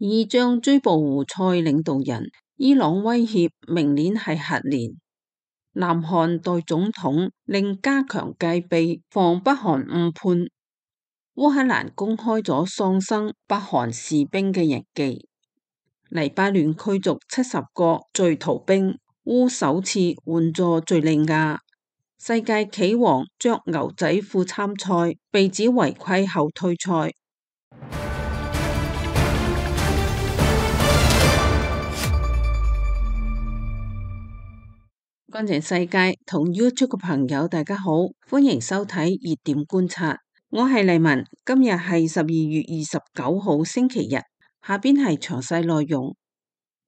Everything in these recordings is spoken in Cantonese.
以將追捕胡塞領導人。伊朗威脅明年係核年。南韓代總統令加強戒備，防北韓誤判。烏克蘭公開咗喪生北韓士兵嘅日記。黎巴嫩驅逐70個敘逃兵。烏首次援助敘利亞。世界棋王着牛仔褲參賽，被指違規後退賽。軍情世界同 YouTube 嘅朋友大家好，歡迎收睇熱點觀察，我係麗文，今日係12月29號星期日，下邊係詳細內容。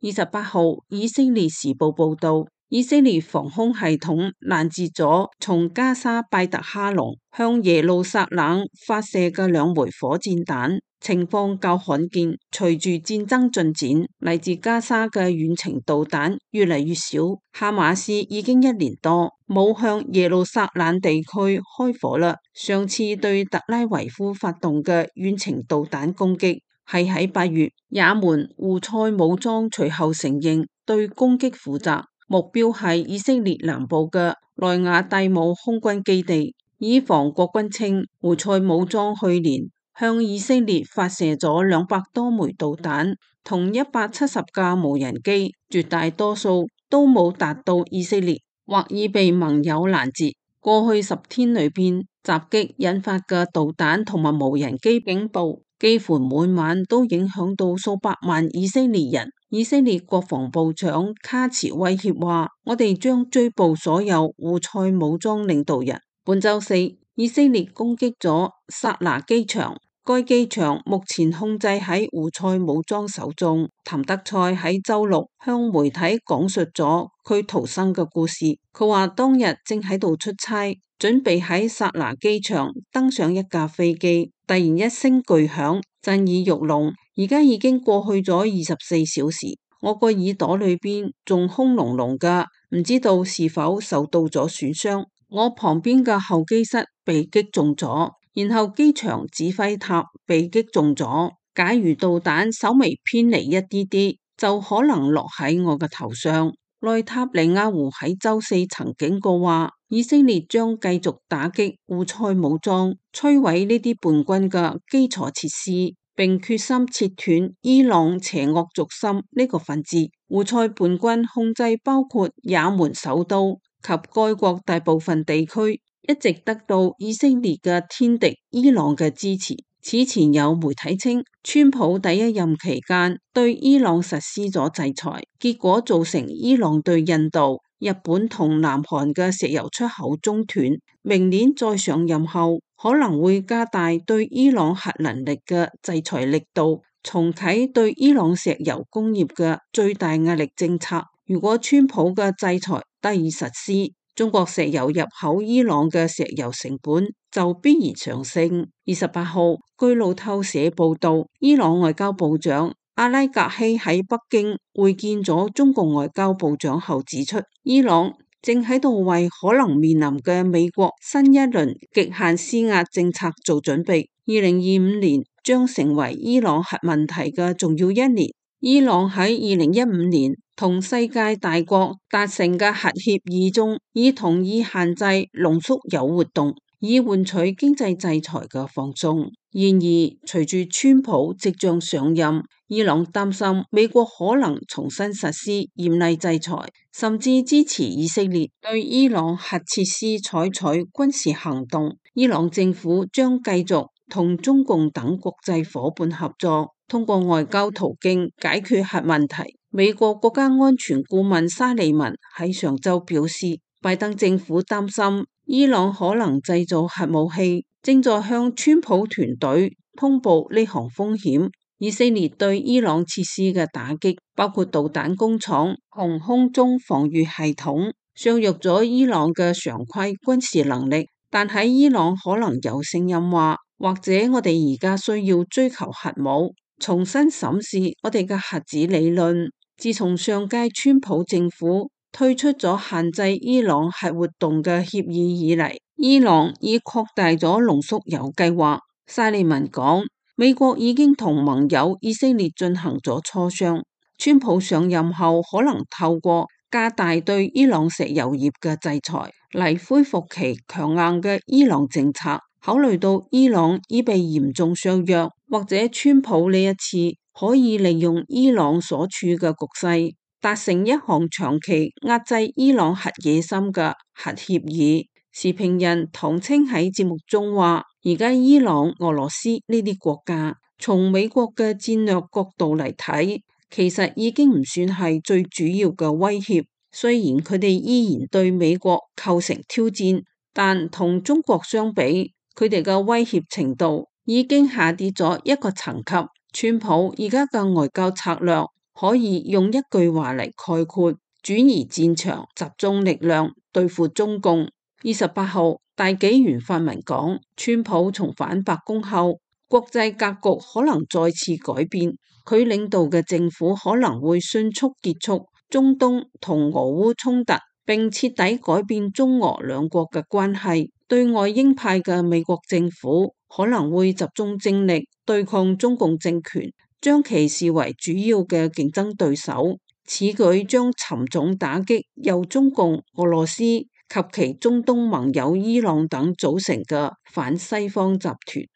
28號以色列時報報道，以色列防空系統攔截咗從加沙拜特哈隆向耶路撒冷發射嘅2枚火箭彈，情況較罕見。隨住戰爭進展，嚟自加沙嘅遠程導彈越嚟越少，哈馬斯已經1年多冇向耶路撒冷地區開火啦。上次對特拉維夫發動嘅遠程導彈攻擊係喺8月，也門胡塞武裝隨後承認對攻擊負責，目標係以色列南部嘅萊雅蒂姆空軍基地。以防國軍稱，胡塞武裝去年向以色列發射咗200多枚導彈，同170架無人機，絕大多數都冇達到以色列，或已被盟友攔截。過去10天裏邊，襲擊引發嘅導彈同埋無人機警報，幾乎每晚都影響到數百萬以色列人。以色列國防部長卡茨威脅話：我哋將追捕所有胡塞武裝領導人。本週四，以色列攻擊咗薩拿機場，該機場目前控制喺胡塞武裝手中。譚德塞喺週六向媒體講述咗佢逃生嘅故事。佢話當日正喺度出差，準備喺薩拿機場登上一架飛機，突然一聲巨響，震耳欲聾。而家已經過去咗24小時，我個耳朵裏邊仲空隆隆噶，唔知道是否受到咗損傷。我旁邊嘅候機室被擊中咗，然後機場指揮塔被擊中咗。假如導彈稍微偏離一啲啲，就可能落喺我嘅頭上。內塔尼亞胡喺週四曾警告話，以色列將繼續打擊胡塞武裝，摧毀呢啲叛軍嘅基礎設施，並決心切斷伊朗邪惡軸心呢個分支。胡塞叛軍控制包括也門首都及該國大部分地區，一直得到以色列嘅天敵伊朗嘅支持。此前有媒體稱，川普第1任期間對伊朗實施咗制裁，結果造成伊朗對印度、日本同南韓嘅石油出口中斷。明年再上任後，可能會加大對伊朗核能力嘅制裁力度，重啟對伊朗石油工業嘅最大壓力政策。如果川普嘅制裁得以實施，中國石油入口伊朗嘅石油成本就必然上升。28號，據路透社報道，伊朗外交部長阿拉格希喺北京會見咗中國外交部長後指出，伊朗正喺度為可能面臨嘅美國新一輪極限施壓政策做準備。2025年將成為伊朗核問題嘅重要一年。伊朗喺2015年同世界大國達成嘅核協議中，已同意限制濃縮鈾活動，以換取經濟制裁嘅放鬆。然而，隨住川普即將上任，伊朗擔心美國可能重新實施嚴厲制裁，甚至支持以色列對伊朗核設施採取軍事行動。伊朗政府將繼續同中共等國際夥伴合作，通過外交途徑解決核問題。美國國家安全顧問沙利文喺上週表示，拜登政府擔心伊朗可能製造核武器，正在向川普團隊通報呢項風險。以色列對伊朗設施嘅打擊，包括導彈工廠同空中防禦系統，削弱咗伊朗嘅常規軍事能力。但喺伊朗可能有聲音話，或者我哋而家需要追求核武，重新審視我哋嘅核子理論。自從上屆川普政府推出咗限制伊朗核活動嘅協議以嚟，伊朗已擴大咗濃縮鈾計劃。沙利文講，美國已經同盟友以色列進行咗磋商，川普上任後可能透過加大對伊朗石油業嘅制裁嚟恢復其強硬嘅伊朗政策。考慮到伊朗已被嚴重削弱，或者川普呢一次可以利用伊朗所處嘅局勢，達成一項長期壓制伊朗核野心嘅核協議。時評人唐青喺節目中話，而家伊朗、俄羅斯呢啲國家，從美國嘅戰略角度嚟睇，其實已經唔算係最主要嘅威脅。雖然佢哋依然對美國構成挑戰，但同中國相比，佢哋嘅威脅程度已經下跌咗一個層級。川普而家嘅外交策略可以用一句話嚟概括：轉移戰場，集中力量對付中共。28號，大紀元發文講，川普重返白宮後，國際格局可能再次改變，佢領導嘅政府可能會迅速結束中東同俄烏衝突，並徹底改變中俄兩國嘅關係。對外鷹派嘅美國政府可能會集中精力對抗中共政權，將其視為主要嘅競爭對手。此舉將沉重打擊由中共、俄羅斯及其中東盟友伊朗等組成嘅反西方集團。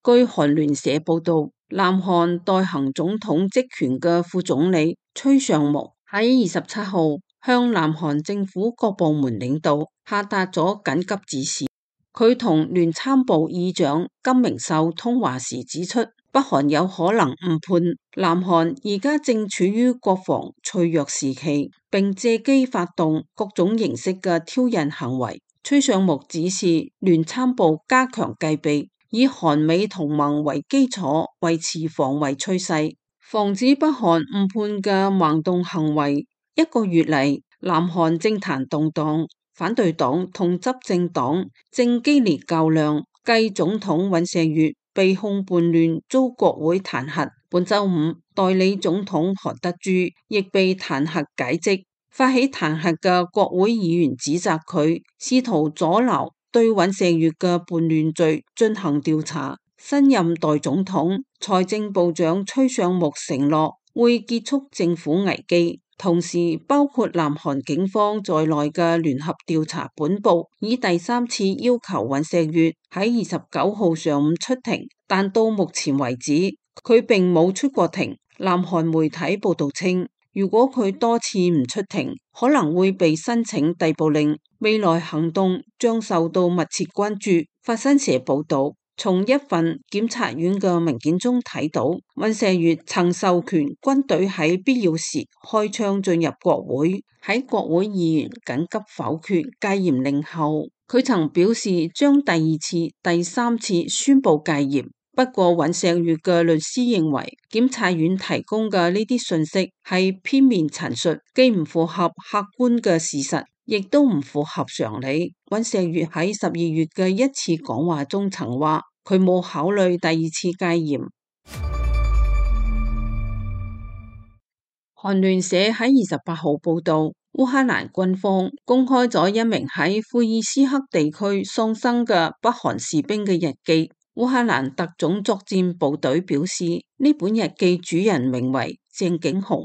據韓聯社報道，南韓代行總統職權嘅副總理崔尚木喺27號向南韓政府各部門領導下達咗緊急指示。佢同聯參部議長金明秀通話時指出，北韓有可能誤判南韓而家正處於國防脆弱時期，並借機發動各種形式嘅挑釁行為。崔尚木指示聯參部加強戒備，以韓美同盟為基礎，維持防衛趨勢，防止北韓誤判嘅盲動行為。一個月嚟，南韓政壇動盪，反對黨同執政黨正激烈較量。繼總統尹錫悅被控叛亂遭國會彈劾，本週五代理總統韓德珠亦被彈劾解職。發起彈劾嘅國會議員指責佢試圖阻撓對尹錫悅嘅叛亂罪進行調查。新任代總統財政部長崔尚木承諾會結束政府危機，同時包括南韓警方在內嘅聯合調查本部以第三次要求尹錫悅喺29號上午出庭，但到目前為止佢並冇出過庭。南韓媒體報道稱，如果佢多次唔出庭，可能會被申請逮捕令，未來行動將受到密切關注。法新社報道，從一份檢察院嘅文件中睇到，尹錫悅曾授權軍隊喺必要時開槍進入國會。喺國會議員緊急否決戒嚴令後，佢曾表示將第2次、第3次宣布戒嚴。不過尹錫悅嘅律師認為，檢察院提供嘅呢啲信息係片面陳述，既唔符合客觀嘅事實，亦都唔符合常理。尹錫悅喺12月嘅一次講話中曾話，佢冇考慮第2次戒嚴。韓聯社喺28號報道，烏克蘭軍方公開咗一名喺庫爾斯克地區喪生嘅北韓士兵嘅日記。烏克蘭特種作戰部隊表示，呢本日記主人名為鄭景雄，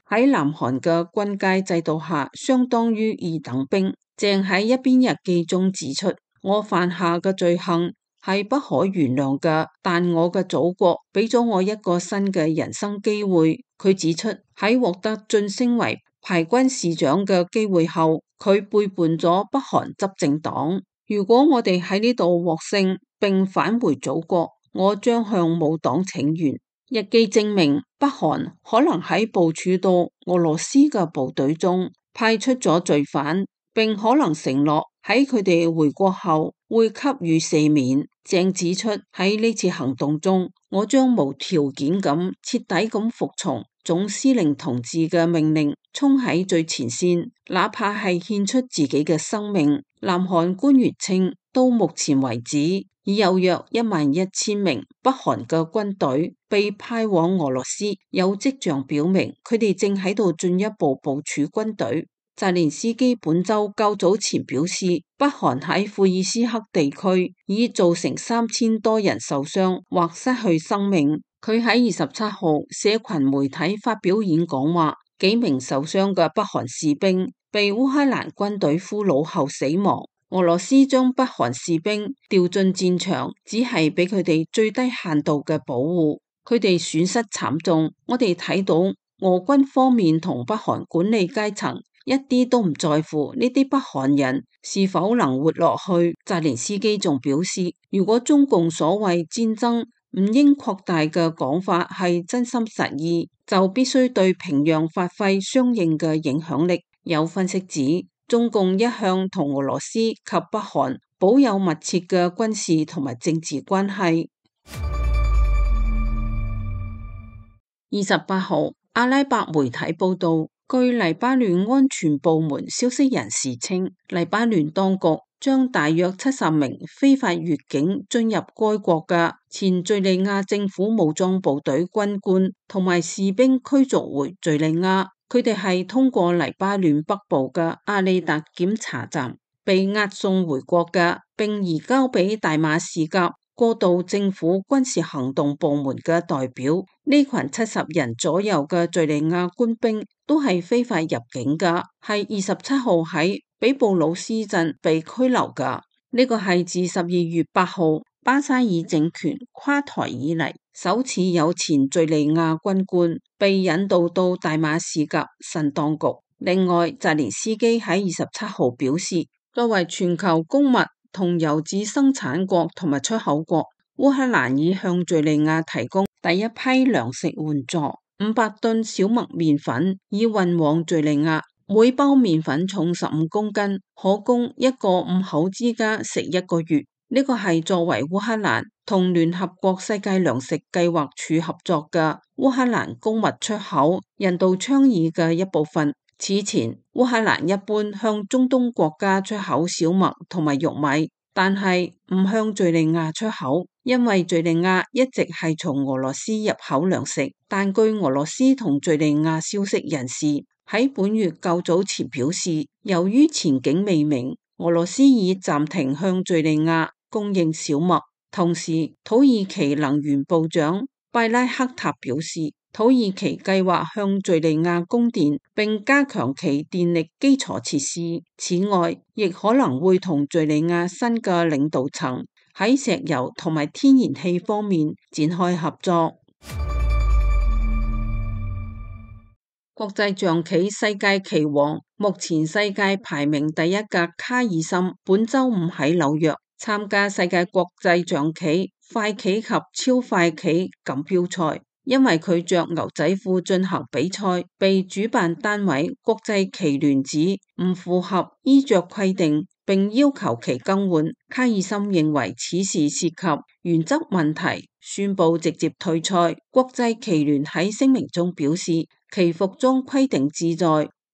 喺南韓嘅軍階制度下，相當於二等兵。鄭喺一篇日記中指出，我犯下嘅罪行係不可原諒嘅，但我嘅祖國俾咗我一個新嘅人生機會。佢指出，喺獲得晉升為排軍士長嘅機會後，佢背叛咗北韓執政黨。如果我哋喺呢度獲勝並返回祖國，我將向母黨請願。日記證明，北韓可能喺部署到俄羅斯嘅部隊中派出咗罪犯，並可能承諾喺佢哋回國後會給予赦免。鄭指出，喺呢次行動中，我將無條件咁徹底咁服從總司令同志嘅命令，衝喺最前線，哪怕係獻出自己嘅生命。南韓官員稱，到目前為止，已有約11000名北韓嘅軍隊被派往俄羅斯，有跡象表明佢哋正喺度進一步部署軍隊。澤連斯基本週較早前表示，北韓喺庫爾斯克地區已造成3000多人受傷或失去生命。佢喺27號社群媒體發表演講話，幾名受傷嘅北韓士兵被烏克蘭軍隊俘虜後死亡。俄羅斯將北韓士兵調進戰場，只係俾佢哋最低限度嘅保護，佢哋損失慘重。我哋睇到俄軍方面同北韓管理階層一啲都唔在乎呢啲北韓人是否能活落去。澤連斯基仲表示，如果中共所謂戰爭唔應擴大嘅講法係真心實意，就必須對平壤發揮相應嘅影響力。有分析指，中共一向同俄羅斯及北韓保有密切嘅軍事同埋政治關係。28號，阿拉伯媒體報道，據黎巴嫩安全部門消息人士稱，黎巴嫩當局將大約70名非法越境進入該國嘅前敘利亞政府武裝部隊軍官同埋士兵驅逐回敘利亞。佢哋係通過黎巴嫩北部嘅阿利達檢查站被押送回國嘅，並移交俾大馬士革過渡政府軍事行動部門嘅代表。呢群70人左右嘅敘利亞官兵都係非法入境嘅，係27號喺比布魯斯鎮被拘留嘅。呢個係自12月8號巴沙爾政權垮台以嚟首次有前敘利亞軍官被引渡到大馬士革新當局。另外，澤連斯基喺27號表示，作為全球穀物同油脂生產國同埋出口國，烏克蘭已向敘利亞提供第一批糧食援助，500噸小麥麵粉已運往敘利亞，每包麵粉重15公斤，可供一個5口之家食1個月。呢個係作為烏克蘭同聯合國世界糧食計劃署合作嘅烏克蘭穀物出口人道倡議嘅一部分。此前，烏克蘭一般向中東國家出口小麥同埋玉米，但係唔向敘利亞出口，因為敘利亞一直係從俄羅斯入口糧食。但據俄羅斯同敘利亞消息人士喺本月較早前表示，由於前景未明，俄羅斯已暫停向敘利亞供應小麥。同時，土耳其能源部長拜拉克塔表示，土耳其計劃向敘利亞供電，並加強其電力基礎設施。此外，亦可能會同敘利亞新嘅領導層喺石油同埋天然氣方面展開合作。國際象棋世界棋王，目前世界排名第一嘅卡爾森，本週五喺紐約參加世界國際象棋快棋及超快棋錦標賽。因為佢着牛仔褲進行比賽，被主辦單位國際棋聯指唔符合衣着規定，並要求其更換。卡爾森認為此事涉及原則問題，宣布直接退賽。國際棋聯喺聲明中表示，其服裝規定旨在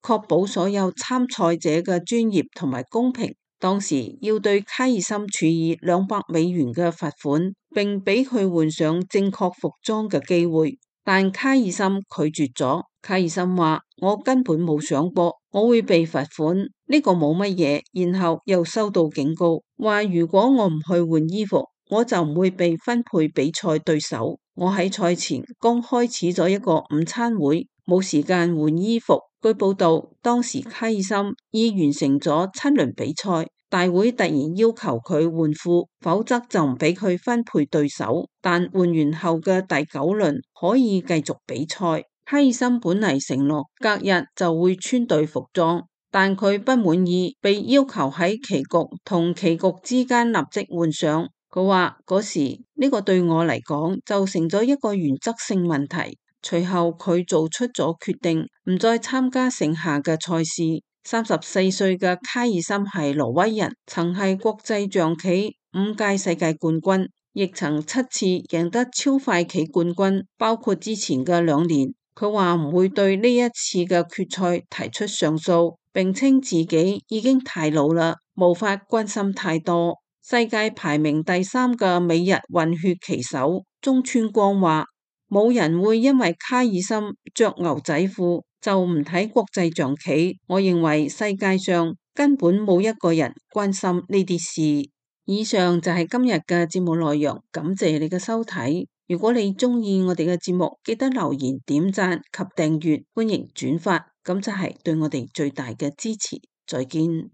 確保所有參賽者嘅專業同埋公平。當時要對卡爾森處以$200嘅罰款，並俾佢換上正確服裝嘅機會，但卡爾森拒絕咗。卡爾森話：我根本冇想過我會被罰款，呢個冇乜嘢。然後又收到警告，話如果我唔去換衣服，我就唔會被分配比賽對手。我喺賽前剛開始咗一個午餐會，冇時間換衣服。據報道，當時卡爾森已完成咗7輪比賽，大會突然要求佢換褲，否則就唔俾佢分配對手。但換完後嘅第9輪可以繼續比賽。卡爾森本嚟承諾隔日就會穿對服裝，但佢不滿意被要求喺棋局同棋局之間立即換上。佢話嗰時呢個對我嚟講就成咗一個原則性問題。隨後佢做出咗決定，唔再參加剩下嘅賽事。34歲嘅卡爾森係挪威人，曾係國際象棋5屆世界冠軍，亦曾7次贏得超快棋冠軍，包括之前嘅2年。佢話唔會對呢一次嘅決賽提出上訴，並稱自己已經太老啦，無法關心太多。世界排名第3嘅美日混血棋手中村光話：冇人會因為卡爾森着牛仔褲就唔睇國際象棋。我認為世界上根本冇一個人關心呢啲事。以上就係今日嘅節目內容，感謝你嘅收睇。如果你鍾意我哋嘅節目，記得留言、點讚及訂閱，歡迎轉發，咁就係對我哋最大嘅支持。再見。